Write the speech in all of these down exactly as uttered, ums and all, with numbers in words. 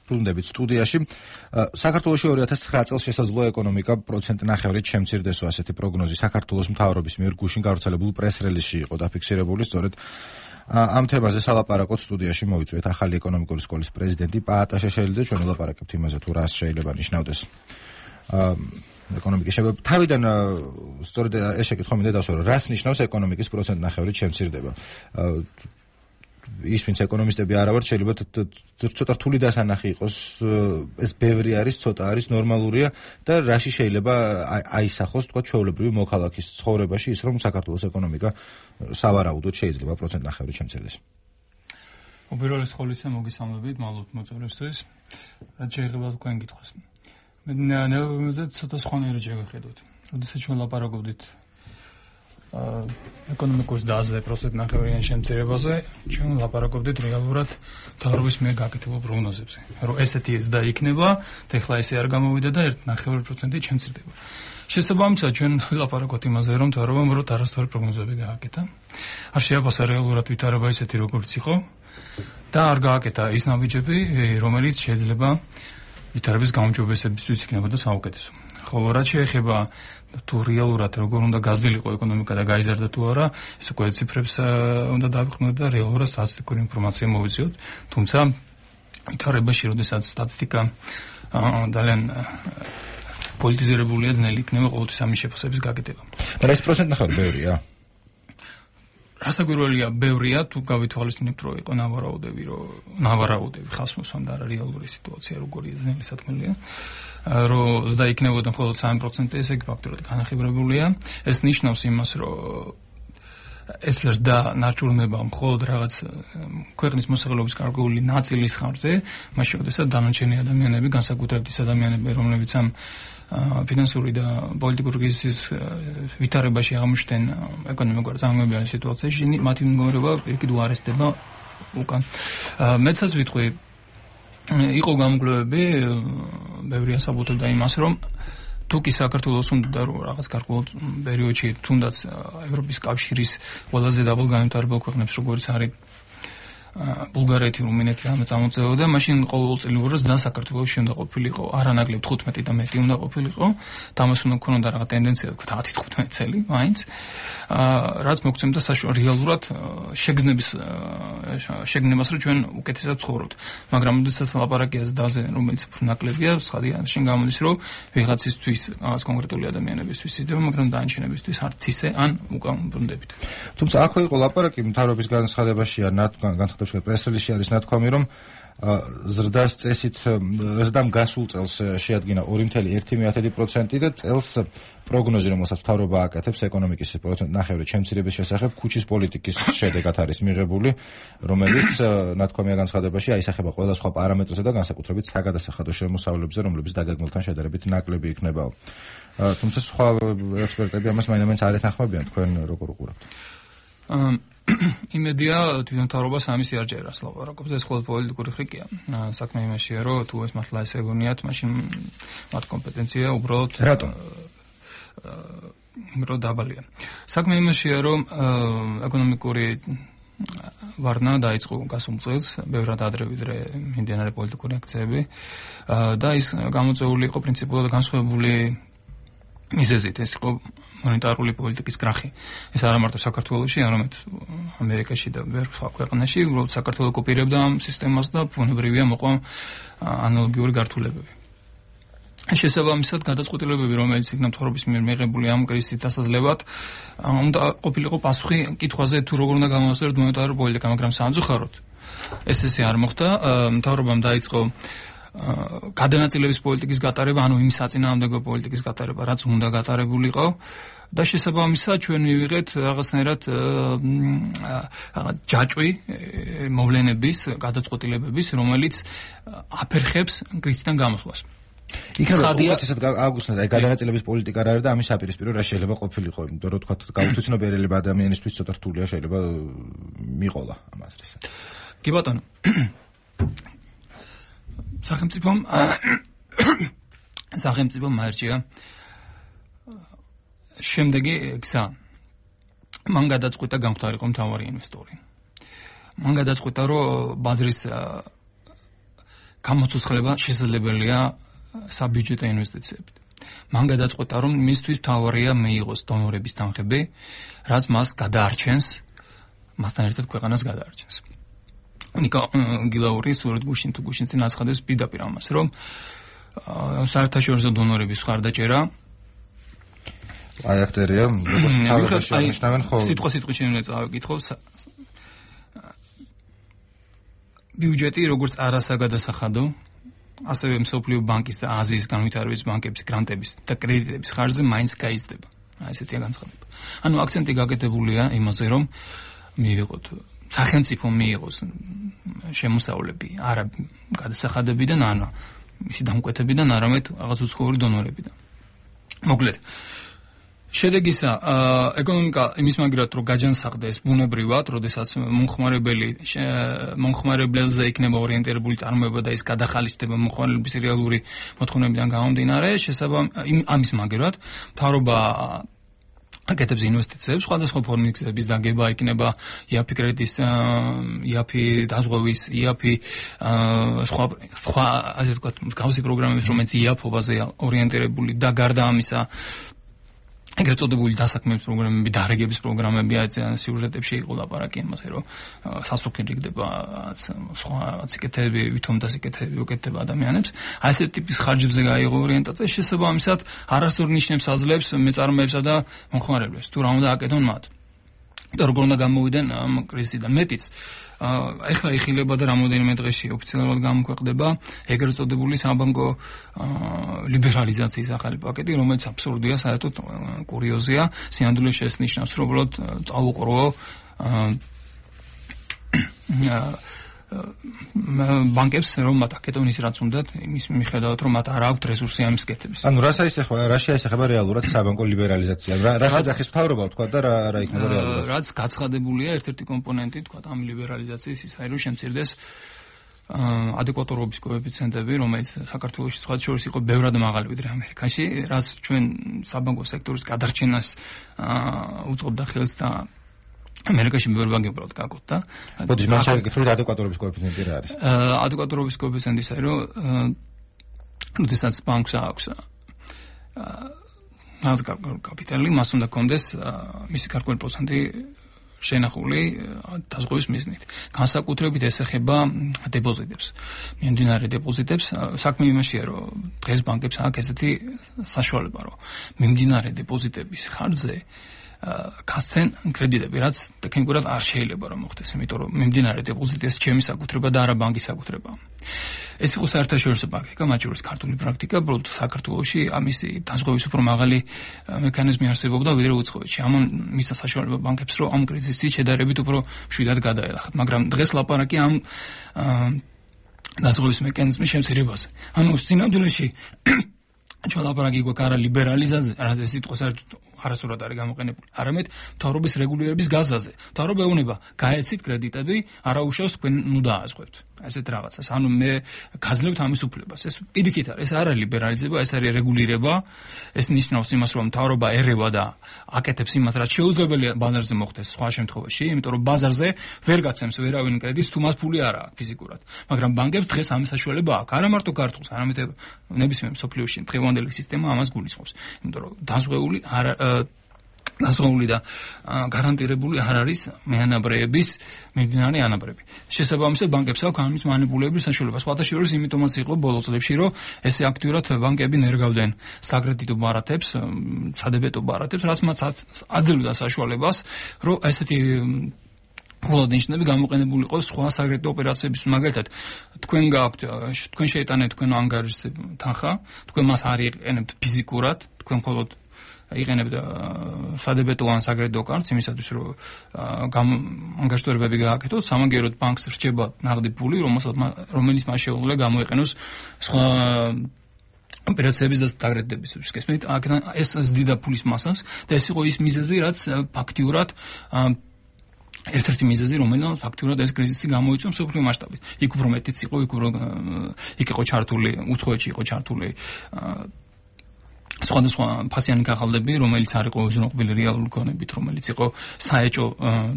ბრუნდებით სტუდიაში. საქართველოში ორი ათას ცხრა წელს შესაძლოა ეკონომიკა პროცენტ ნახევრით შემცირდეს, ასეთი პროგნოზი საქართველოს მთავრობის მიერ გუშინ გავრცელებულ პრეს-რელიზში იყო დაფიქსირებული. სწორედ ამ თემაზე სალაპარაკოთ სტუდიაში მოვიწვიეთ ახალი ეკონომიკური სკოლის პრეზიდენტი პაატა შეშელი და ჩვენ ვლაპარაკებთ იმაზე თუ რას შეიძლება ნიშნავდეს ეკონომიკის შეფერილობა. თავიდან სწორედ ეს შეკითხვა მინდა დავსვრო, რას ნიშნავს ეკონომიკის პროცენტ ნახევრით შემცირდება? ის ვინც ეკონომისტები არ ავართ, შეიძლება ცოტა რთული დასანახი იყოს, ეს ბევრი არის, ცოტა არის, ნორმალურია და რაში შეიძლება აისახოს თქვა ჩვეულებრივი მოქალაქის ცხოვრებაში ის, რომ საქართველოს ეკონომიკა სავარაუდოდ შეიძლება პროცენტ ნახევრით შემცირდეს. უპირველეს ყოვლისა მოგესალმებით მალოთ მოწვევისთვის. რაც შეიძლება თქვენ გითხრას. მე ნეუბნებზე ცოტა სხვანაირად შევხედოთ. როდესაც ჩვენ ლაპარაკობდით ეკონომიკურ დაზზე პროცენტ ნახევრიან შემცირებაზე, ჩვენ ლაპარაკობდით რეალურად მთავრობის მიერ გაკეთებულ პროგნოზებზე. რომ ესეთი ზრდა იქნება, და ეხლა ესე არ გამოვიდა და ერთ ნახევარი პროცენტით შემცირდება. შესაბამისად, ჩვენ ვილაპარაკოთ იმაზე, რომ მთავრობამ უბრალოდ არასწორი პროგნოზები გააკეთა. არ შეაფასა რეალურად ვითარება ისეთი, როგორც იყო და არ გააკეთა ის ნაბიჯები, რომელიც შეიძლება ვითარების გაუმჯობესებისთვის იქნებოდა საუკეთესო. ხოლო რაც შეეხება თუ რეალურად როგორ უნდა გაზრდილიყო ეკონომიკა და გაიზარდა თუ არა, ეს უკვე ციფრებს უნდა დავიხმოთ და რეალურად სტატისტიკური ინფორმაცია მოვიძიოთ. თუმცა ვითარებაში, როდესაც სტატისტიკა ძალიან პოლიტიზირებულია, ძნელი იქნება ყოველთვის ამის შეფასების გაკეთება. მაგრამ ეს პროცენტ ნახევარი ბევრია. რასაკვირველია, ბევრია, თუ გავითვალისწინებთ, რომ იყო ნავარაუდები, რომ ნავარაუდები ხალხს მოსვამდა რა რეალური სიტუაცია როგორია, ძნელი საქმეა. რომ ზრდა იქნებოდა მხოლოდ სამი პროცენტი, ესე იგი ფაქტურად განახიბრებულია. ეს ნიშნავს იმას, რომ ეს ზრდა ნაჩვენება მხოლოდ რაღაც ქვეყნის მოსახლეობის გარკვეული ნაწილის ხარჯზე, მაშინ როდესაც დანარჩენი ადამიანები, განსაკუთრებით ის ადამიანები, რომლებიც ამ ფინანსური და პოლიტიკური კრიზისის ვითარებაში აღმოჩნდნენ ეკონომიკურ წარმოებიან სიტუაციაში, მათი მდგომარეობა პირიქით უარესდება უკან. მეცაც ვიტყვი, იყო გამოკვლევები, ბევრი ასაბუთებდა იმას, რომ თუ კი საქართველოს უნდა რომ რაღაც გარკვეულ პერიოდში თუნდაც ევროპის კავშირის ყველაზე დაბალგანვითარებულ ქვეყნებს როგორც არის ბულგარეთი, რუმინეთი ამ წამოწევდა, მაშინ ყოველწლიურად და საქართველოს უნდა ყოფილიყო არანაკლებ თხუთმეტი და მეტი უნდა ყოფილიყო. თამას უნდა ქონოდა რაღაც ტენდენცია, ვთქვათ, ათი თხუთმეტი წელი, მაინც. რაც მოგცემდა საშუალო რეალურად შეგრძნების შეგნებას, რომ ჩვენ უკეთესად ცხოვრობთ. მაგრამ როდესაც ლაპარაკია ზრდაზე, რომელიც უფრო ნაკლებია, ხადია შენ გამოდის, რომ ვიღაცისთვის, რაღაც კონკრეტული ადამიანებისთვის ისდება, მაგრამ დაანჩენებისთვის არც ისე, ან უკან ბრუნდებით. თუმცა აქვე იყო ლაპარაკი მთავრობის განცხადებაში ან განცხადებაში პრეს-რელიზში არის ნათქვამი, რომ ზრდას წესით ზრდამ გასულ წელს შეადგინა ორი კoma ერთი პროცენტი და წელს პროგნოზი, რომელსაც მთავრობა აკეთებს ეკონომიკის პროცენტ ნახევრით შემცირების შესახებ, ქუჩის პოლიტიკის შედეგად არის მიღებული, რომელიც ნათქვამია განცხადებაში აისახება ყველა სხვა პარამეტრზე და განსაკუთრებით საგადასახადო შემოსავლებზე, რომლებიც დაგეგმილთან შედარებით ნაკლები იქნებაო. თუმცა სხვა ექსპერტები ამას მაინც არ ეთანხმებიან, თქვენ როგორ უყურებთ? იმედია თვითონ მთავრობას ამის იარჯერას ლაპარაკობს, ეს მხოლოდ პოლიტიკური ხრიკია. საქმე იმაშია, რომ თუ ეს მართლა ესე ეგონიათ, მაშინ მათ კომპეტენცია უბრალოდ რატომ? უბრალოდ დაბალია. საქმე იმაშია, რომ ეკონომიკური ვარნა დაიწყო გასულ წელს, ბევრად ადრე ვიდრე მიმდინარე პოლიტიკური აქციები და ის გამოწვეული იყო პრინციპულად განსხვავებული მიზეზით, ეს იყო მონეტარული პოლიტიკის კრახი. ეს არა მარტო საქართველოში, არამედ ამერიკაში და ბევრ სხვა ქვეყანაში, უბრალოდ საქართველო კოპირებდა ამ სისტემას და ბუნებრივია მოყვა ანალოგიური გართულებები. შესაბამისად, გადაწყვეტილებები, რომელიც იქნა მთავრობის მიერ მიღებული ამ კრიზისის დასაძლევად, უნდა ყოფილიყო პასუხი კითხვაზე, თუ როგორ უნდა გამოვასწოროთ მონეტარული პოლიტიკა, მაგრამ სამწუხაროდ ეს ესე არ მოხდა. მთავრობამ დაიწყო გადანაწილების პოლიტიკის გატარება, ანუ იმ საწინააღმდეგო პოლიტიკის გატარება, რაც უნდა გატარებულიყო და შესაბამისად ჩვენ მივიღეთ რაღაცნაირად ჯაჭვი მოვლენების, გადაწყვეტილებების, რომელიც აფერხებს კრიზისიდან გამოსვლას. იქნება უკეთესად აგვიხსნათ, აი გადანაწილების პოლიტიკა რა არის და ამის საპირისპირო რა შეიძლება ყოფილიყო, იმიტომ რომ თქვათ გაუთვითნობიერება ადამიანისთვის ცოტა რთულია, შეიძლება მიყოლა ამ აზრის. კი ბატონო. სახელმწიფომ სახელმწიფომ მაერჩია შემდეგი გზა. მან გადაწყვიტა გამხდარიყო მთავარი ინვესტორი. მან გადაწყვიტა, რომ ბაზრის გამოცოცხლება შესაძლებელია საბიუჯეტო ინვესტიციებით. მან გადაწყვეტა, რომ მისთვის მთავარია მიიღოს დონორების თანხები, რაც მას გადაარჩენს, მასთან ერთად ქვეყანას გადაარჩენს. ნიკო გილაური სულ გუშინ თუ გუშინ წინ აცხადებს პირდაპირ ამას, რომ საერთაშორისო დონორების მხარდაჭერა აი აქტერია, როგორც თავში აღნიშნავენ, ხო. სიტყვა სიტყვით შეიძლება წავიკითხო. ბიუჯეტი როგორც არასაგადასახადო, ასევე მსოფლიო ბანკის და აზიის განვითარების ბანკების გრანტების და კრედიტების ხარჯზე მაინც გაიზრდება. აი ესეთია განცხადება. ანუ აქცენტი გაკეთებულია იმაზე, რომ მიიღოთ სახელმწიფო მიიღოს შემოსავლები არა გადასახადებიდან, არა მისი დამკვეთებიდან, არამედ რაღაც უცხოური დონორებიდან. მოკლედ შედეგისა ეკონომიკა იმის მაგერად რომ გაჯანსაღდეს ბუნებრივად, როდესაც მომხმარებელი მომხმარებელზე იქნება ორიენტირებული წარმოება და ის გადახალისდება მომხმარებლების რეალური მოთხოვნებიდან გამომდინარე, შესაბამისად ამის მაგერად მთავრობა აკეთებს ინვესტიციებს, სხვადასხვა ფორმის გზების დაგება იქნება იაფი კრედიტის, იაფი დაზღვევის, იაფი სხვა სხვა ასე ვთქვათ, მსგავსი პროგრამების, რომელიც იაფობაზე ორიენტირებული და გარდა ამისა ეგრეთ წოდებული დასაქმების პროგრამები, დარეგების პროგრამები, სიუჟეტებში იყო ლაპარაკი იმაზე, რომ სასოფლო იქნება სხვა სიკეთეები, ვითომ და სიკეთეები უკეთდება ადამიანებს. აი ესეთი ტიპის ხარჯებზე გაიღო ორიენტაცია, შესაბამისად არასწორ ნიშნებს აძლევს მეწარმეებსა და მომხმარებლებს. თუ რა უნდა აკეთონ მათ. და როგორ უნდა გამოვიდნენ ამ კრიზისიდან მეტიც. ეხლა იხილება და რამოდენიმე დღეში ოფიციალურად გამოქვეყნდება ეგრეთ წოდებული საბანკო ლიბერალიზაციის ახალი პაკეტი, რომელიც აბსურდია, საერთოდ კურიოზია, სინამდვილეში ეს ნიშნავს, რომ უბრალოდ წაუყროო ბანკებს, რომ მათ აკეთონ ის რაც უნდათ, იმის მიხედავად, რომ მათ არ აქვთ რესურსი ამის კეთების. ანუ რა საისახება, რა შეეხება რეალურად საბანკო ლიბერალიზაცია? რა საძახის მთავრობა თქვა და რა რა იქნება რეალურად? რაც გაცხადებულია ერთ-ერთი კომპონენტი, თქვა ამ ლიბერალიზაციის ის არის, რომ შემცირდეს ადეკვატურობის კოეფიციენტები, რომელიც საქართველოში სხვა შორის იყო ბევრად მაღალი ვიდრე ამერიკაში, რაც ჩვენ საბანკო სექტორის გადარჩენას უწყობდა ხელს და ამერიკაში ბევრი ბანკი უბრალოდ გაკეთდა. მოდი მან შეგეკითხოთ ადეკვატურობის კოეფიციენტი რა არის? ადეკვატურობის კოეფიციენტი ის არის, რომ როდესაც ბანკს აქვს მას კაპიტალი, მას უნდა კონდეს მისი გარკვეული პროცენტი შენახული დაზღვევის მიზნით. განსაკუთრებით ეს ეხება დეპოზიტებს. მიმდინარე დეპოზიტებს, საქმე იმაშია, რომ დღეს ბანკებს აქვს ესეთი საშუალება, რომ მიმდინარე დეპოზიტების ხარჯზე გასცენ კრედიტები, რაც ტექნიკურად არ შეიძლება რომ მოხდეს, იმიტომ რომ მიმდინარე დეპოზიტი ეს ჩემი საკუთრება და არა ბანკის საკუთრება. ეს იყო საერთაშორისო პრაქტიკა, მათ შორის ქართული პრაქტიკა, უბრალოდ საქართველოში ამისი დაზღვევის უფრო მაღალი მექანიზმი არსებობდა ვიდრე უცხოეთში. ამან მისცა საშუალება ბანკებს, რომ ამ კრიზისით შედარებით უფრო მშვიდად გადაელახათ, მაგრამ დღეს ლაპარაკი ამ დაზღვევის მექანიზმის შემცირებაზე. ანუ სინამდვილეში ჩვენ ლაპარაკი გვაქვს არა ლიბერალიზაციაზე, რაც ეს სიტყვა საერთოდ არასწორად არის გამოყენებული, არამედ მთავრობის რეგულირების გაზაზე. მთავრობა ეუბნება, გაეცით კრედიტები, არა უშავს თქვენ ნუ დააზღვევთ. ესეთ რაღაცას. ანუ მე გაძლევთ ამის უფლებას. ეს პირიქით არის, ეს არა ლიბერალიზება, ეს არის რეგულირება. ეს ნიშნავს იმას, რომ მთავრობა ერევა და აკეთებს იმას, რაც შეუძლებელია ბაზარზე მოხდეს სხვა შემთხვევაში, იმიტომ რომ ბაზარზე ვერ გაცემს ვერავინ კრედიტს, თუ მას ფული არ აქვს ფიზიკურად. მაგრამ ბანკებს დღეს ამის საშუალება აქვს. არა მარტო ქართულს, არამედ ნებისმიერ მსოფლიოში დღევანდელი სისტემა ამას გულისხმობს. იმიტომ რომ დაზღვეული არა დაზღვეული და გარანტირებული არ არის მეანაბრეების მიმდინარე ანაბრები. შესაბამისად ბანკებს აქვს ამის მანიპულირების საშუალება. სხვათა შორის იმიტომაც იყო ბოლო წლებში, რომ ესე აქტიურად ბანკები ნერგავდნენ საკრედიტო ბარათებს, სადებეტო ბარათებს, რაც მათ აძლევდა საშუალებას, რომ ესეთი მხოლოდ ნიშნები გამოყენებული იყოს სხვა საკრედიტო ოპერაციების, მაგალითად, თქვენ გაქვთ, თქვენ შეიტანეთ თქვენ ანგარიშზე თანხა, თქვენ მას არ იყენებთ ფიზიკურად, თქვენ მხოლოდ იყენებთ სადებეტო ან საკრედიტო კარტს იმისათვის, რომ ანგარიშტორებები გააკეთოთ, სამაგიეროდ ბანკს რჩება ნაღდი ფული, რომელიც მას შეუძლია გამოიყენოს სხვა ოპერაციების და დაკრედიტების შესაძლებლად. ეს ზდიდა ფულის მასას და ეს იყო ის მიზეზი, რაც ფაქტიურად ერთ-ერთი მიზეზი, რომელიც ფაქტიურად ეს კრიზისი გამოიწვია მსოფლიო მასშტაბით. იქ უფრო მეტიც იყო, იქ უფრო იქ იყო ჩართული, უცხოეთში იყო ჩართული სხვადასხვა ფასიანი ქაღალდები, რომელიც არ იყო უზრუნველყოფილი რეალური გონებით, რომელიც იყო საეჭო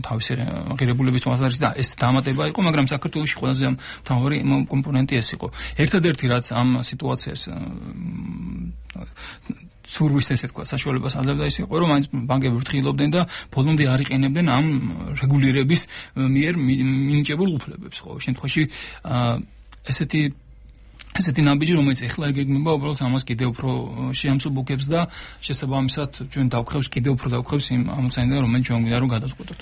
თავისი ღირებულების თვალსაზრისით და ეს დამატება იყო, მაგრამ საქართველოში ყველაზე მთავარი კომპონენტი ეს იყო. ერთადერთი რაც ამ სიტუაციას სურვის ესე თქვა საშუალებას აძლევდა ის იყო, რომ მაინც ბანკები ფრთხილობდნენ და ბოლომდე არ იყენებდნენ ამ რეგულირების მიერ მინიჭებულ უფლებებს. ყოველ შემთხვევაში ესეთი ესეთი ნაბიჯი, რომელიც ეხლა ეგეგმება, უბრალოდ ამას კიდევ უფრო შეამსუბუქებს და შესაბამისად ჩვენ დავხევს, კიდევ უფრო დავხევს იმ ამოცანიდან, რომელიც ჩვენ გვინდა რომ გადავწყვეტოთ.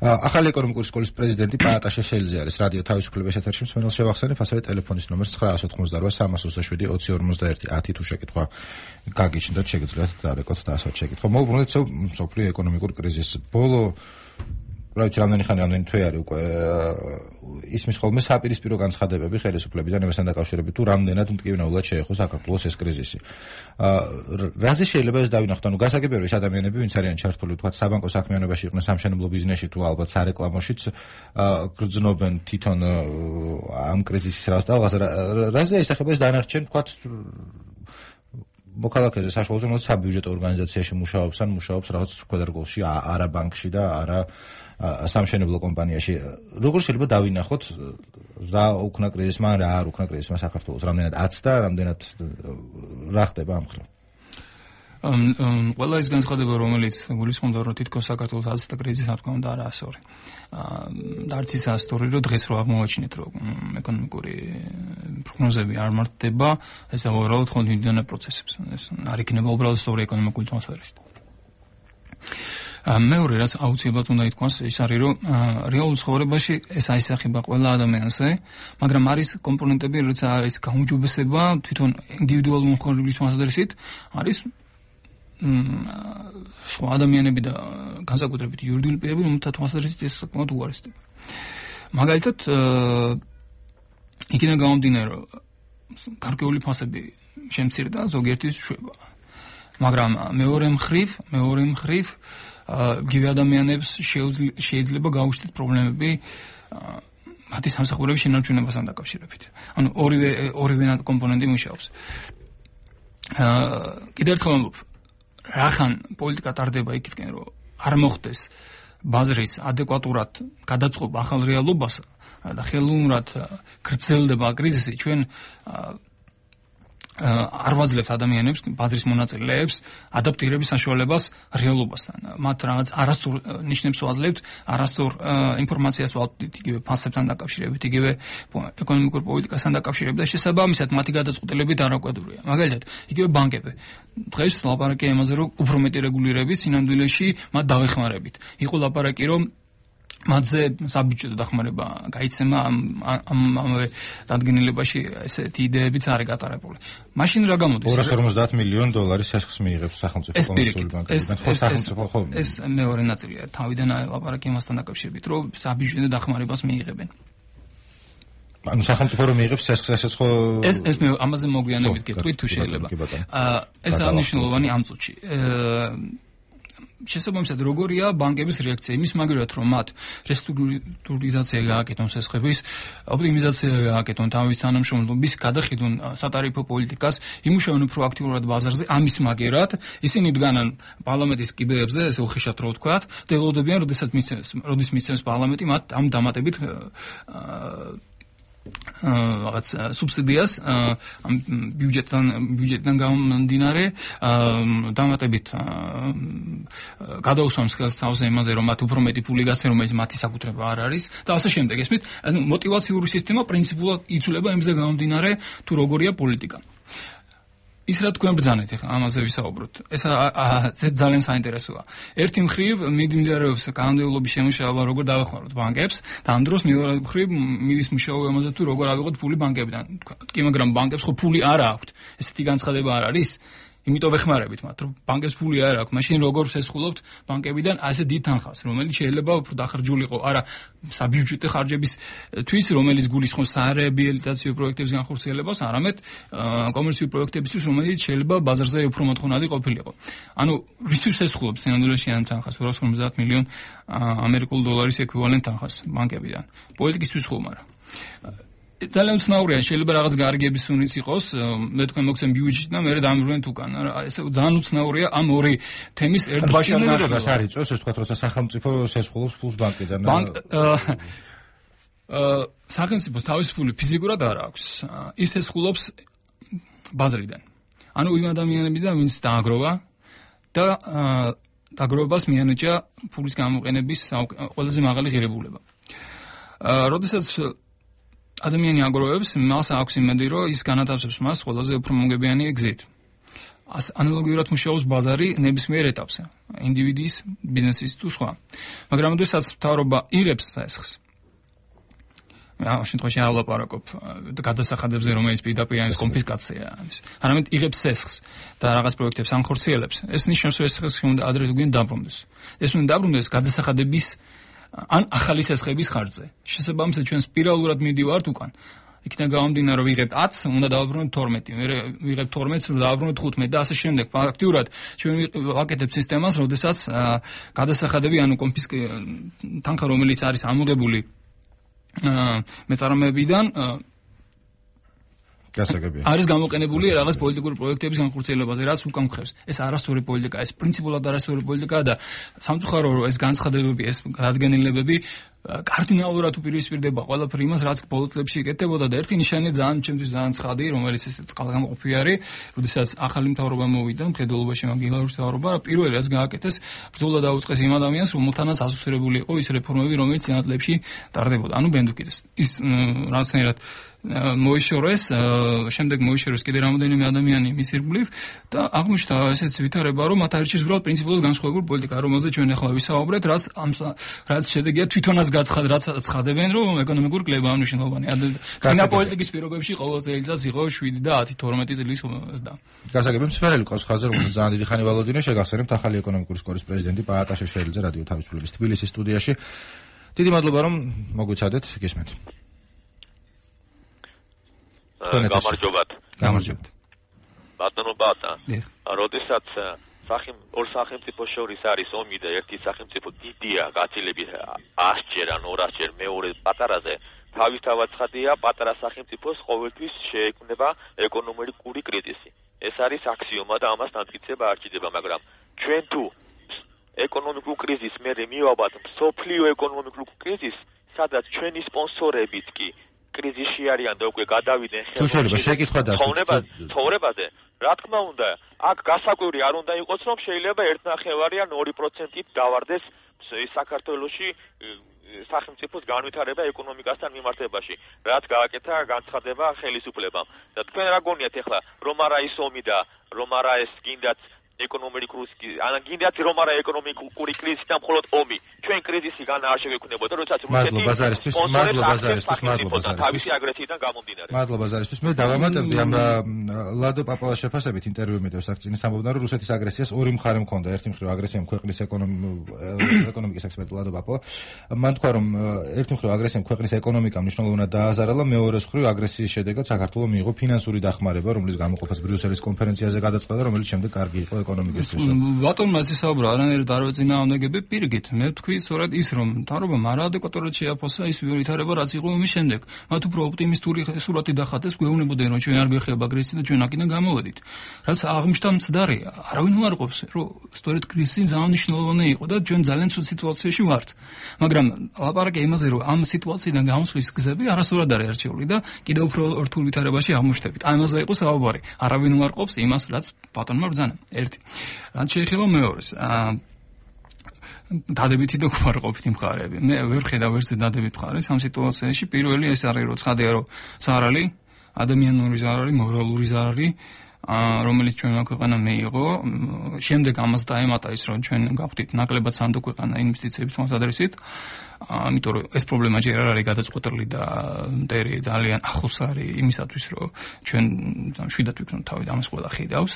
ახალი ეკონომიკური სკოლის პრეზიდენტი პაატა შეშელიძე არის რადიო თავისუფლების ეთერში. მსმენელს შევახსენებ, ასევე ტელეფონის ნომერს nine eight eight eight სამას ოცდაშვიდი ოცი ორმოცდაერთი ათი თუ შეკითხვა გაგიჩნდათ, შეგიძლიათ დაარეკოთ და ასეთ შეკითხვა. მოუბრუნდეთ მსოფლიო ეკონომიკურ კრიზისს. ბოლო რაიცი რამდენი ხანი რამდენი თვე არის უკვე ისმის ხოლმე საპირისპირო განცხადებები ხელისუფლებიდან იმასთან დაკავშირებით თუ რამდენად მტკივნეულად შეეხო საქართველოს ეს კრიზისი. რაზე შეიძლება ეს დავინახოთ? ანუ გასაგებია რომ ეს ადამიანები ვინც არიან ჩართული თქვა საბანკო საქმიანობაში იყვნენ სამშენებლო ბიზნესში თუ ალბათ სარეკლამოშიც გრძნობენ თვითონ ამ კრიზისის რას და რაზე ისახება ეს დანარჩენ თქვა მოქალაქეზე საშუალო ზრდას საბიუჯეტო ორგანიზაციაში მუშაობს ან მუშაობს რაღაც ქვედარგოლში, არა ბანკში და არა სამშენებლო კომპანიაში. როგორ შეიძლება დავინახოთ რა უკნა კრიზისმა, რა არ უკნა კრიზისმა საქართველოს, რამდენად აცდა, რამდენად რა ხდება ამ ხრივ? ყველა ის განცხადება, რომელიც გულისხმობდა, რომ თითქოს საქართველოს აცდა კრიზისი, რა თქმა უნდა, არა ასწორი. და არც ის ასწორი, რომ დღეს რო აღმოვაჩინეთ, რომ ეკონომიკური პროგნოზები არ მართდება, ეს უბრალოდ ხონდიდანე პროცესებს. ეს არ იქნება უბრალოდ სწორი ეკონომიკური ატმოსფერით. მეორე რაც აუცილებლად უნდა ითქვას, ის არის, რომ რეალურ ცხოვრებაში ეს აისახება ყველა ადამიანზე, მაგრამ არის კომპონენტები, როცა არის გაუმჯობესება თვითონ ინდივიდუალური მომხმარებლის თვალსაზრისით, არის სხვა ადამიანები და განსაკუთრებით იურიდიული პირები, რომელთა თვალსაზრისით ეს საკმაოდ უარესდება. მაგალითად, იქიდან გამომდინარე, რომ გარკვეული ფასები შემცირდა, ზოგიერთის შვება. მაგრამ მეორე მხრივ, მეორე მხრივ გივი ადამიანებს შეიძლება გაუჩნდეთ პრობლემები მათი სამსახურების შენარჩუნებასთან დაკავშირებით. ანუ ორივე ორივე კომპონენტი მუშაობს. კიდევ ერთხელ ვამბობ, რახან პოლიტიკა ტარდება იქითკენ, რომ არ მოხდეს ბაზრის ადეკვატურად გადაწყობა ახალ რეალობასა და ხელოვნურად გრძელდება კრიზისი, ჩვენ არ ვაძლევთ ადამიანებს, ბაზრის მონაწილეებს ადაპტირების საშუალებას რეალობასთან. მათ რაღაც არასწორ ნიშნებს ვაძლევთ, არასწორ ინფორმაციას ვაძლევთ იგივე ფასებთან დაკავშირებით, იგივე ეკონომიკურ პოლიტიკასთან დაკავშირებით და შესაბამისად მათი გადაწყვეტილებით არაკვედურია. მაგალითად, იგივე ბანკები. დღეს ლაპარაკია იმაზე, რომ უფრო მეტი რეგულირების სინამდვილეში მათ დავეხმარებით. იყო ლაპარაკი, რომ მათზე საბიუჯეტო დახმარება გაიცემა ამ ამავე დადგენილებაში ესეთი იდეებიც არის გატარებული. მაშინ რა გამოდის? ორას ორმოცდაათ მილიონი დოლარის შესხს მიიღებს სახელმწიფო კომერციული ბანკები. ეს მეორე ნაწილია. თავიდან ლაპარაკი იმასთან დაკავშირებით, რომ საბიუჯეტო დახმარებას მიიღებენ. ანუ სახელმწიფო რომ მიიღებს შესხს, ესეც ხო ეს ეს მე ამაზე მოგვიანებით გეტყვით თუ შეიძლება. ეს აღნიშნულოვანი ამ წუთში. შესაბამისად როგორია ბანკების რეაქცია იმის მაგალითად რომ მათ რესტრუქტურიზაცია გააკეთონ სესხების ოპტიმიზაცია გააკეთონ თავის თანამშრომლობის გადახედონ სატარიფო პოლიტიკას იმუშავონ უფრო აქტიურად ბაზარზე ამის მაგერად ისინი დგანან პარლამენტის კიბეებზე ესე უხეშად რო ვთქვათ და ელოდებიან როდესაც მიცემს როდის მიცემს პარლამენტი მათ ამ დამატებით რაღაც სუბსიდიას ამ ბიუჯეტთან ბიუჯეტიდან გამომდინარე დამატებით გადაუსვამს ხელს თავზე იმაზე რომ მათ უფრო მეტი ფული გასცენ რომელიც მათი საკუთრება არ არის და ასე შემდეგ ესმით ანუ мотиваციური სისტემა პრინციპულად იცვლება იმზე გამომდინარე თუ როგორია პოლიტიკა ის რა თქვენ ბრძანეთ ახლა ამაზე ვისაუბროთ ეს ძალიან საინტერესოა ერთი მხრივ მიმდინარეობს კანონმდებლობის შემუშავება როგორ დავეხმაროთ ბანკებს და ამ დროს მეორე მხრივ მიდის მუშაობა ამაზე თუ როგორ ავიღოთ ფული ბანკებიდან კი მაგრამ ბანკებს ხო ფული არ აქვთ ესეთი განცხადება არ არის იმიტომ ვეხმარებით მათ რომ ბანკებს ფული არ აქვს მაშინ როგორ შესხულობთ ბანკებიდან ასე დიდ თანხას რომელიც შეიძლება უფრო დახარჯულიყო არა საბიუჯეტო ხარჯებისთვის რომელიც გულისხმობს სარეაბილიტაციო პროექტების განხორციელებას არამედ კომერციული პროექტებისთვის რომელიც შეიძლება ბაზარზე უფრო მოთხოვნადი ყოფილიყო ანუ რისთვის შესხულობთ სინამდვილეში ამ თანხას ორას ორმოცდაათ მილიონი ამერიკულ დოლარის ეკვივალენტ თანხას ბანკებიდან პოლიტიკისთვის ხომ არა ძალიან უცნაურია, შეიძლება რაღაც გარიგების სუნიც იყოს, მე თქვენ მოგცემ ბიუჯეტი და მე დამжвენ თუკან. ესე ძალიან უცნაურია ამ ორი თემის ერთბაში ნახევარს არის წოს, ეს თქვა, როცა სახელმწიფო შესხულობს ფულს ბანკიდან. ბანკ აა სახელმწიფოს თავის ფული ფიზიკურად არ აქვს. ის ესხულობს ბაზრიდან. ანუ იმ ადამიანებიდან, ვინც დააგროვა და დაგროვებას მიანიჭა ფულის გამოყენების ყველაზე მაღალი ღირებულება. აა როდესაც ადამიანი აგროვებს, მას აქვს იმედი, რომ ის განათავსებს მას ყველაზე უფრო მოგებიანი გზით. ანალოგიურად მუშაობს ბაზარი ნებისმიერ ეტაპზე, ინდივიდის, ბიზნესის თუ სხვა. მაგრამ როდესაც მთავრობა იღებს ესხს, ამ შემთხვევაში არ ვლაპარაკობ გადასახადებზე, რომელიც პირდაპირ არის კონფისკაცია ამის. არამედ იღებს ესხს და რაღაც პროექტებს ანხორციელებს. ეს ნიშნავს, რომ ესხს უნდა ადრე თუ გვიან დაბრუნდეს. ეს უნდა დაბრუნდეს გადასახადების ან ახალი ესხების ხარჯზე. შესაბამისად, ჩვენ სპირალურად მიდივართ უკან. იქიდან გამომდინარე, რომ ვიღებთ ათს, უნდა დავაბრუნოთ თორმეტი, მე ვიღებთ თორმეტს, დავაბრუნოთ ხუთმეტი და ასე შემდეგ. ფაქტიურად ჩვენ ვაკეთებთ სისტემას, როდესაც გადასახადები, ანუ კონფისკი თანხა, რომელიც არის ამოღებული მეწარმეებიდან გასაგებია. არის გამოყენებული რაღაც პოლიტიკური პროექტების განხორციელებაზე, რაც უკან ხევს. ეს არასწორი პოლიტიკაა, ეს პრინციპულად არასწორი პოლიტიკაა და სამწუხარო რომ ეს განცხადებები, ეს დადგენილებები კარდინალურად უპირისპირდება ყველაფერ იმას, რაც ბოლო წლებში იკეთებოდა და ერთი ნიშანი ძალიან ჩემთვის ძალიან ცხადი, რომელიც ეს წყალგამყოფი არის, როდესაც ახალი მთავრობა მოვიდა, მხედველობაში მაგილაურის მთავრობა, პირველი რაც გააკეთეს, ბრძოლა დაუწყეს იმ ადამიანს, რომელთანაც ასოცირებული იყო ის რეფორმები, რომელიც წინა წლებში ტარდებოდა. ანუ ბენდუკიდეს. ის რაღაცნაირად მოიშორეს, შემდეგ მოიშორეს კიდე რამოდენიმე ადამიანი მის ირგვლივ და აღმოჩნდა ესეც ვითარება, რომ მათ არჩევს უბრალოდ პრინციპულად განსხვავებული პოლიტიკა, რომელზეც ჩვენ ახლა ვისაუბრეთ, რაც ამ რაც შედეგია თვითონაც გაცხად, რაც ცხადებენ, რომ ეკონომიკური კლება მნიშვნელოვანია. წინა პოლიტიკის პირობებში ყოველ წელიწადს იყო შვიდი და ათი თორმეტი წლის ზრდა. გასაგებია, მსმენელი ყავს ხაზზე, რომელსაც ძალიან დიდი ხანი ვალოდინე, შეგახსენებთ ახალი ეკონომიკური სკოლის პრეზიდენტი პაატა შეშელიძე რადიო თავისუფლების თბილისის სტუდიაში. დიდი მადლობა, რომ მოგვიცადეთ, გისმენთ. გამარჯობათ. გამარჯობათ. ბატონო ბატა. როდესაც სახემ ორ სახელმწიფო შორის არის ომი და ერთი სახელმწიფო დიდია, გაცილებით ასჯერ ან ორასჯერ მეორე პატარაზე, თავისთავად ცხადია, პატარა სახელმწიფოს ყოველთვის შეექმნება ეკონომიკური კრიზისი. ეს არის აქსიომა და ამას დამტკიცება არ ჭირდება, მაგრამ ჩვენ თუ ეკონომიკურ კრიზისს მერე მივაბად მსოფლიო ეკონომიკურ კრიზისს, სადაც ჩვენი სპონსორებით კი კრიზისში არიან და უკვე გადავიდნენ ხელმოშეში ცხოვრებაზე, რა თქმა უნდა, აქ გასაკვირი არ უნდა იყოს, რომ შეიძლება ერთნახევარი ან ორი პროცენტით დავარდეს საქართველოში სახელმწიფოს განვითარება ეკონომიკასთან მიმართებაში, რაც გააკეთა განცხადება ხელისუფლებამ. და თქვენ რა გონიათ ახლა, რომ არა ის ომი და რომ არა ეს გინდათ ეკონომიკური კრიზისი, ან გინდათ რომ არა ეკონომიკური კრიზისი და მხოლოდ ომი. ჩვენ კრიზისი განა არ შეგექმნებოდა, როდესაც რუსეთი ბაზარისთვის, მადლობა ბაზარისთვის, მადლობა თავისი აგრესიიდან გამომდინარე. მადლობა ბაზარისთვის. მე დავამატებდი ამ ლადო პაპავას შეფასებით ინტერვიუ მიდევს აქცინის ამბობდა, რომ რუსეთის აგრესიას ორი მხარე მქონდა. ერთი მხრივ აგრესიამ ქვეყნის ეკონომიკის ექსპერტი ლადო პაპავა. მან თქვა, რომ ერთი მხრივ აგრესიამ ქვეყნის ეკონომიკამ მნიშვნელოვნად დააზარალა, მეორე მხრივ აგრესიის შედეგად საქართველოს მიიღო ფინანსური დახმარება, რომლის გამოყოფაც ბრიუსელის კონფერენციაზე გადაწყდა, რომელიც შემდეგ კარგი იყო ეკონომიკისთვის. ბატონმა ასე საუბრა, არანაირად არ ვეწინააღმდეგები, პირიქით, მე ვთქვი სწორედ ის, რომ მთავრობამ არაადეკვატურად შეაფასა ის ვითარება, რაც იყო ომის შემდეგ. მათ უფრო ოპტიმისტური სურათი დახატეს, გვეუბნებოდნენ, რომ ჩვენ არ გვეხება აგრესია და ჩვენ აქედან გამოვედით. რაც აღმოჩნდა მცდარია. არავინ უარყოფს, რომ სწორედ კრიზისი ძალიან მნიშვნელოვანი იყო და ჩვენ ძალიან ცუდ სიტუაციაში ვართ. მაგრამ ლაპარაკია იმაზე, რომ ამ სიტუაციიდან გამოსვლის გზები არასდროს არ არჩეული და კიდევ უფრო რთულ ვითარებაში აღმოჩნდებით. აი ამაზე იყო საუბარი. არავინ უარყოფს იმას, რაც ბატონმა ბრძანა. ერთი. რაც შეეხება მეორეს, აა დადებითი და უარყოფითი მხარეები. მე ვერ ხედავ ვერც დადებით მხარეს ამ სიტუაციაში. პირველი ეს არის, რომ ცხადია, რომ ზარალი, ადამიანური ზარალი, მორალური ზარალი, რომელიც ჩვენმა ქვეყანამ მიიღო, შემდეგ ამას დაემატა ის, რომ ჩვენ გავხდით ნაკლებად სანდო ქვეყანა ინვესტიციების მოსადრისით. ამიტომ რომ ეს პრობლემა ჯერ არ არის გადაწყვეტილი და მტერი ძალიან ახლოს არის იმისათვის, რომ ჩვენ შვიდად ვიქნოთ თავი ამას ყველა ხედავს.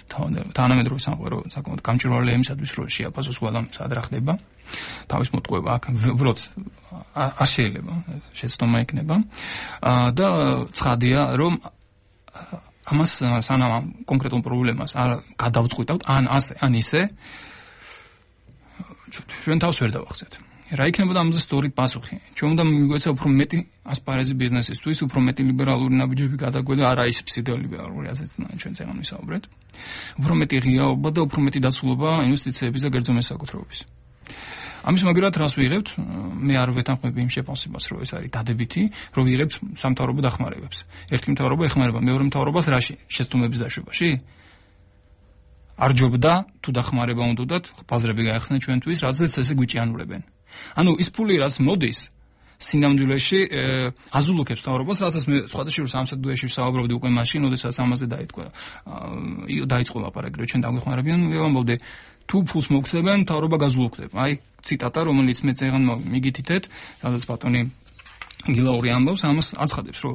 თანამედროვე სამყარო საკმაოდ გამჭვირვალეა იმისათვის, რომ შეაფასოს ყველა სად რა ხდება. თავის მოტყუება აქ უბრალოდ არ შეიძლება, შეცდომა იქნება. და ცხადია, რომ ამას სანამ კონკრეტულ პრობლემას არ გადავწყვიტავთ, ან ასე, ან ისე ჩვენ თავს ვერ დავახსენებთ. რა იქნებოდა ამაზე სწორი პასუხი? ჩვენ უნდა მიგვეცა უფრო მეტი ასპარეზი ბიზნესისთვის, უფრო მეტი ლიბერალური ნაბიჯები გადაგვედა, არა ის ფსიდოლიბერალური, ასეც ჩვენ წეგან ვისაუბრეთ. უფრო მეტი ღიაობა და უფრო მეტი დაცულობა ინვესტიციების და კერძო მესაკუთრეობის. ამის მაგერად რას ვიღებთ? მე არ ვეთანხმები იმ შეფასებას, რომ ეს არის დადებითი, რომ ვიღებთ სამთავრობო დახმარებებს. ერთი მთავრობა ეხმარება მეორე მთავრობას რაში? შეცდომების დაშვებაში? არ ჯობდა თუ დახმარება უნდათ, ბაზრები გაიხსნა ჩვენთვის, რადგან ესე გვიჭიანურებენ. ანუ ის ფული რაც მოდის სინამდვილეში აზულუქებს მთავრობას, რასაც მე სხვადასხვა სამსადუეში ვსაუბრობდი უკვე მაშინ, როდესაც ამაზე დაიწყო დაიწყო ლაპარაკი, რომ ჩვენ დაგვეხმარებიან, მე ვამბობდი თუ ფულს მოგხსებენ, მთავრობა გაზულუქდება. აი ციტატა, რომელიც მე წეგან მიგითითეთ, სადაც ბატონი გილაური ამბობს, ამას აცხადებს, რომ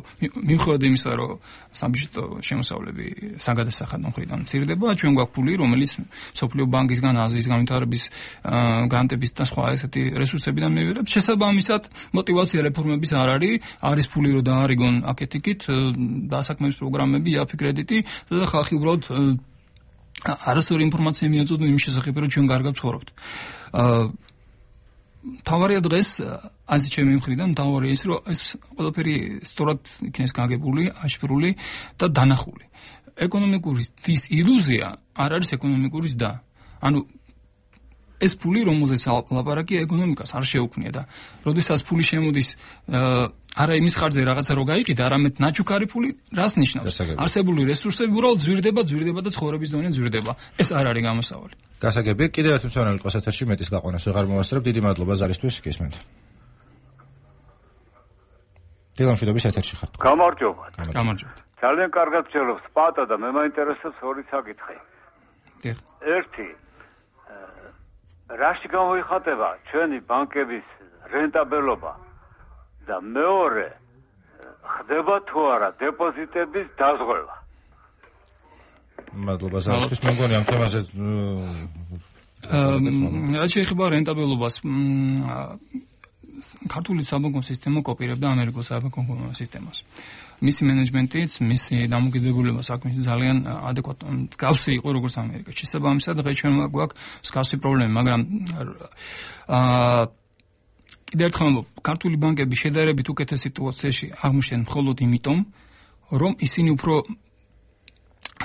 მიუხედავად იმისა, რომ საბიუჯეტო შემოსავლები საგადასახადო მხრიდან მცირდება, ჩვენ გვაქვს ფული, რომელიც სოფლიო ბანკისგან, აზიის განვითარების გრანტების და სხვა ესეთი რესურსებიდან მივიღებთ. შესაბამისად, мотиваცია რეფორმების არ არის, არის ფული, რომ დაარიგონ აქეთ-იქით დასაქმების პროგრამები, იაფი კრედიტი და ხალხი უბრალოდ არასწორი ინფორმაცია მიაწოდონ იმ შესახებ, რომ ჩვენ კარგად ვცხოვრობთ. თავარია დღეს ასე ჩემი მხრიდან თავარია ის, რომ ეს ყველაფერი სწორად იქნეს გაგებული, აშფრული და დანახული. ეკონომიკური ის ილუზია არ არის ეკონომიკური ზრდა. ანუ ეს ფული, რომელზეც ლაპარაკია, ეკონომიკას არ შეუქმნია და როდესაც ფული შემოდის არა იმის ხარჯზე რაღაცა რო გაიყიდა, არამედ ნაჩუქარი ფული რას ნიშნავს? არსებული რესურსები უბრალოდ ზვირდება, ზვირდება და ცხოვრების დონე ზვირდება. ეს არ არის გამოსავალი. გასაგებია, კიდევ ერთი მცდელობელი ყოს ეთერში მეტის გაყვანას ვეღარ მოვასწრებ. დიდი მადლობა ზარისთვის, გისმენთ. დილამშვიდობის ეთერში ხართ. გამარჯობა. გამარჯობა. ძალიან კარგად ვწერობ სპატა და მე მაინტერესებს ორი საკითხი. დიახ. ერთი რაში გამოიხატება ჩვენი ბანკების რენტაბელობა და მეორე ხდება თუ არა დეპოზიტების დაზღვევა. მადლობა ზარისთვის, მე მგონი ამ თემაზე რაც შეეხება რენტაბელობას, ქართული საბანკო სისტემა კოპირებდა ამერიკულ საბანკო სისტემას. მისი მენეჯმენტიც, მისი დამოკიდებულება საქმეში ძალიან ადეკვატური გავსი იყო როგორც ამერიკაში. შესაბამისად, დღეს ჩვენ გვაქვს მსგავსი პრობლემა, მაგრამ აა კიდევ ერთხელ ქართული ბანკები შედარებით უკეთეს სიტუაციაში აღმოჩნდნენ მხოლოდ იმიტომ, რომ ისინი უფრო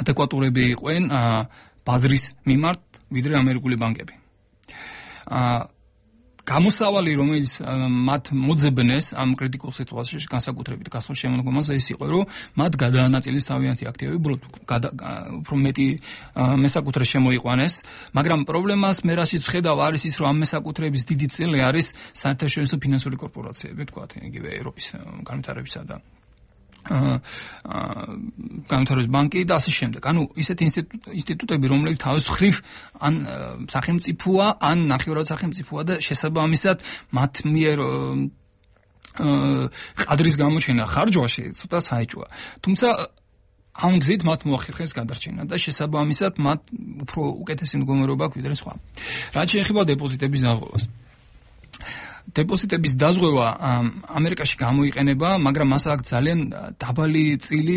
ადეკვატურები იყვნენ ბაზრის მიმართ, ვიდრე ამერიკული ბანკები. აა გამოსავალი, რომელიც მათ მოძებნეს ამ კრიტიკულ სიტუაციაში განსაკუთრებით გასულ შემოდგომაზე ის იყო, რომ მათ გადაანაწილეს თავიანთი აქტივები, უბრალოდ უფრო მეტი მესაკუთრე შემოიყვანეს, მაგრამ პრობლემას მე რასაც ვხედავ არის ის, რომ ამ მესაკუთრეების დიდი წილი არის საერთაშორისო ფინანსური კორპორაციები, თქვათ, იგივე ევროპის განვითარებისა და განვითარების ბანკი და ასე შემდეგ. ანუ ისეთი ინსტიტუტები, რომლებიც თავის მხრივ ან სახელმწიფოა, ან ნახევრად სახელმწიფოა და შესაბამისად მათ მიერ ყადრის გამოჩენა ხარჯვაში ცოტა საეჭვია. თუმცა ამ გზით მათ მოახერხეს გადარჩენა და შესაბამისად მათ უფრო უკეთესი მდგომარეობა აქვს ვიდრე სხვა. რაც შეეხება დეპოზიტების დაზღვევას. დეპოზიტების დაზღვევა ამერიკაში გამოიყენება, მაგრამ მას აქვს ძალიან დაბალი წილი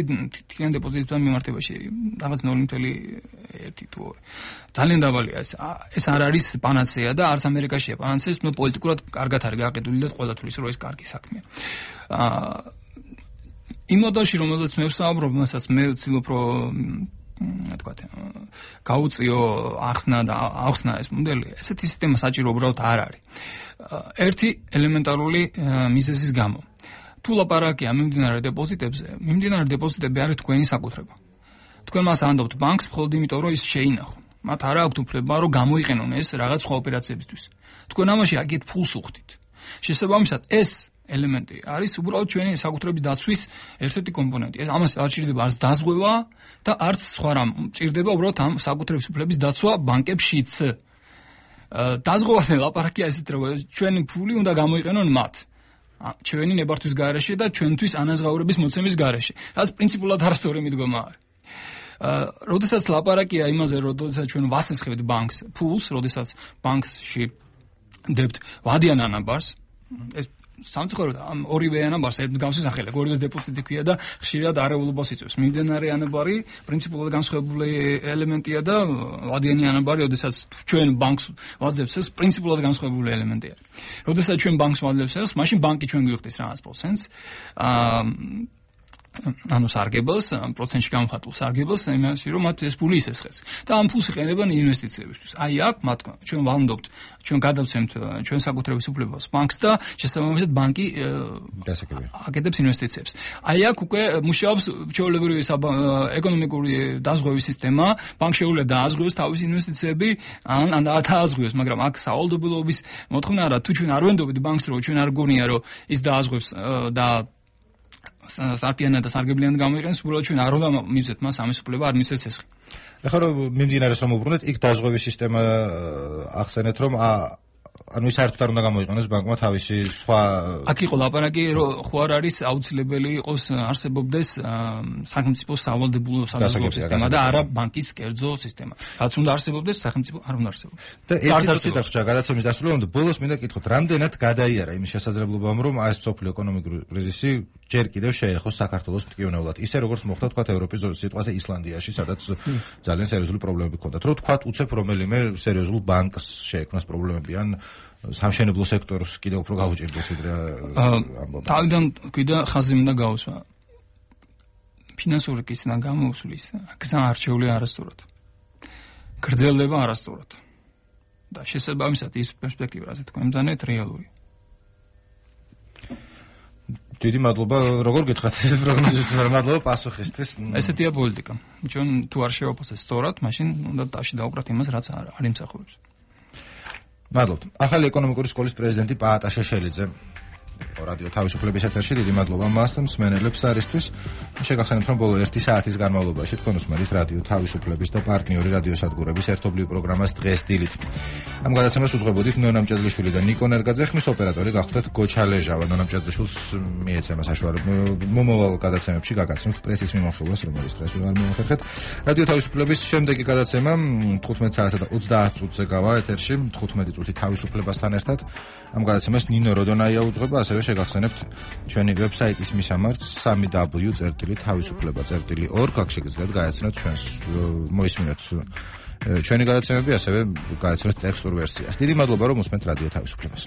თვითონ დეპოზიტებთან მიმართებაში, რაღაც ნული ნული ერთი თუ ორი. ძალიან დაბალია ეს. ეს არ არის პანაცეა და არც ამერიკაშია პანაცეა, თუმცა პოლიტიკურად კარგად არის გაყიდული და ყველა თulis რომ ეს კარგი საქმეა. აა იმ მოდელში, რომელზეც მე ვსაუბრობ, მასაც მე ვცდილობ რომ თქვათ გაუწიო ახსნა და ახსნა ეს მოდელი, ესეთი სისტემა საჭირო უბრალოდ არ არის. ერთი ელემენტარული მიზეზის გამო. თუ ლაპარაკია მიმდინარე დეპოზიტებზე, მიმდინარე დეპოზიტები არის თქვენი საკუთრება. თქვენ მას ანდობთ ბანკს მხოლოდ იმიტომ, რომ ის შეინახო. მათ არ აქვთ უფლება, რომ გამოიყენონ ეს რაღაც სხვა ოპერაციებისთვის. თქვენ ამაში აგეთ ფულს უხდით. შესაბამისად, ეს ელემენტი არის უბრალოდ ჩვენი საკუთრების დაცვის ერთ-ერთი კომპონენტი. ეს ამას არ ჭირდება არც დაზღვევა და არც სხვა რამ. ჭირდება უბრალოდ ამ საკუთრების უფლების დაცვა ბანკებშიც. დაზღვევაზე ლაპარაკია ესეთ რომ ჩვენი ფული უნდა გამოიყენონ მათ. ჩვენი ნებართვის გარეშე და ჩვენთვის ანაზღაურების მოცემის გარეშე. რაც პრინციპულად არასწორი მიდგომა არის. როდესაც ლაპარაკია იმაზე, როდესაც ჩვენ ვასესხებთ ბანკს ფულს, როდესაც ბანკში დებთ ვადიან ანაბარს, ეს სამწუხაროდ ამ ორივე ანაბარს ერთ მსგავსი სახელი გორიოს დეპოზიტი ქვია და ხშირად არეულობას იწვევს. მიმდებარე ანაბარი პრინციპულად განსხვავებული ელემენტია და ვადიანი ანაბარი, როდესაც ჩვენ ბანკს ვაძლევს, ეს პრინციპულად განსხვავებული ელემენტია. როდესაც ჩვენ ბანკს ვაძლევს, ეს მაშინ ბანკი ჩვენ გვიხდის რაღაც პროცენტს. აა ანუ სარგებელს, პროცენტში გამხატულ სარგებელს, იმაში რომ მათ ეს ფული ისესხეს. და ამ ფულს იყენებენ ინვესტიციებისთვის. აი აქ მათ ჩვენ ვალნდობთ, ჩვენ გადავცემთ ჩვენ საკუთრების უფლებას ბანკს და შესაბამისად ბანკი აკეთებს ინვესტიციებს. აი აქ უკვე მუშაობს ჩვეულებრივი ეკონომიკური დაზღვევის სისტემა, ბანკი შეუძლია დააზღვევოს თავის ინვესტიციები, ან ან დააზღვევოს, მაგრამ აქ სავალდებულობის მოთხოვნა არა, თუ ჩვენ არ ვენდობთ ბანკს, რომ ჩვენ არ გონია რომ ის დააზღვევს და სარფიანად და სარგებლიანად გამოიყენოს, უბრალოდ ჩვენ არ უნდა მივცეთ მას ამის უფლება, არ მივცეთ ეს. ეხლა რომ მიმდინარეს რომ უბრუნდეთ, იქ დაზღვევის სისტემა ახსენეთ, რომ ანუ ის საერთოდ არ უნდა გამოიყენოს ბანკმა თავისი სხვა აქ იყო ლაპარაკი, რომ ხო არ არის აუცილებელი იყოს არსებობდეს სახელმწიფოს სავალდებულო საზღვაო სისტემა და არა ბანკის კერძო სისტემა. რაც უნდა არსებობდეს, სახელმწიფო არ უნდა არსებობდეს. და ერთ-ერთი დახჭა გადაცემის დასრულებამდე ბოლოს მინდა კითხოთ, რამდენად გადაიარა იმის შესაძლებლობამ, რომ ეს სოფლიო ეკონომიკური კრიზისი ჯერ კიდევ შეეხოს საქართველოს მტკივნეულად. ისე როგორც მოხდა თქვა ევროპის სიტყვაზე ისლანდიაში, სადაც ძალიან სერიოზული პრობლემები ჰქონდათ. რო თქვა უცებ რომელიმე სერიოზულ ბანკს შეექმნას პრობლემები ან სამშენებლო სექტორს კიდევ უფრო გაუჭირდეს ვიდრე ამბობ. თავიდან კიდე ხაზი მინდა გავუსვა. ფინანსური კრიზისიდან გამოუსვლის გზა არჩეული არასწორად. გრძელდება არასწორად. და შესაბამისად ის პერსპექტივა, ასე თქვა, იმდანეთ რეალური. დიდი მადლობა, როგორ გითხრათ ეს პროგნოზის მადლობა პასუხისთვის. ესეთია პოლიტიკა. ჩვენ თუ არ შევაფასებთ სწორად, მაშინ უნდა დაში დავუკრათ იმას, რაც არ იმსახურებს. მადლობთ. ახალი ეკონომიკური სკოლის პრეზიდენტი პაატა შეშელიძე რადიო თავისუფლების ეთერში დიდი მადლობა მას და მსმენელებს არისთვის. შეგახსენებთ, რომ ბოლო ერთი საათის განმავლობაში თქვენ უსმენთ რადიო თავისუფლების და პარტნიორი რადიოსადგურების ერთობლივ პროგრამას დღეს დილით. ამ გადაცემას უძღვებოდით ნონა მჭედლიშვილი და ნიკო ნერგაძე, ხმის ოპერატორი გახდათ გოჩა ლეჟავა. ნონა მჭედლიშვილს მიეცემა საშუალება მომავალ გადაცემებში გაგაცნობთ პრესის მიმოხილვას, რომელიც დღეს არ მოახერხეთ. რადიო თავისუფლების შემდეგი გადაცემა თხუთმეტ საათსა და ოცდაათ წუთზე გავა ეთერში, თხუთმეტი წუთი თავისუფლებასთან ერთად. ამ გადაცემას ნინო როდონაია უძღვება, ასევე შეგახსენებთ ჩვენი ვებსაიტის მისამართს სამი დაბლიუ წერტილი თავისუფლება წერტილი ორ აქ შეგიძლიათ გაეცნოთ ჩვენს მოისმინოთ ჩვენი გადაცემები, ასევე გაეცნოთ ტექსტურ ვერსიას. დიდი მადლობა რომ უსმენთ რადიო თავისუფლებას.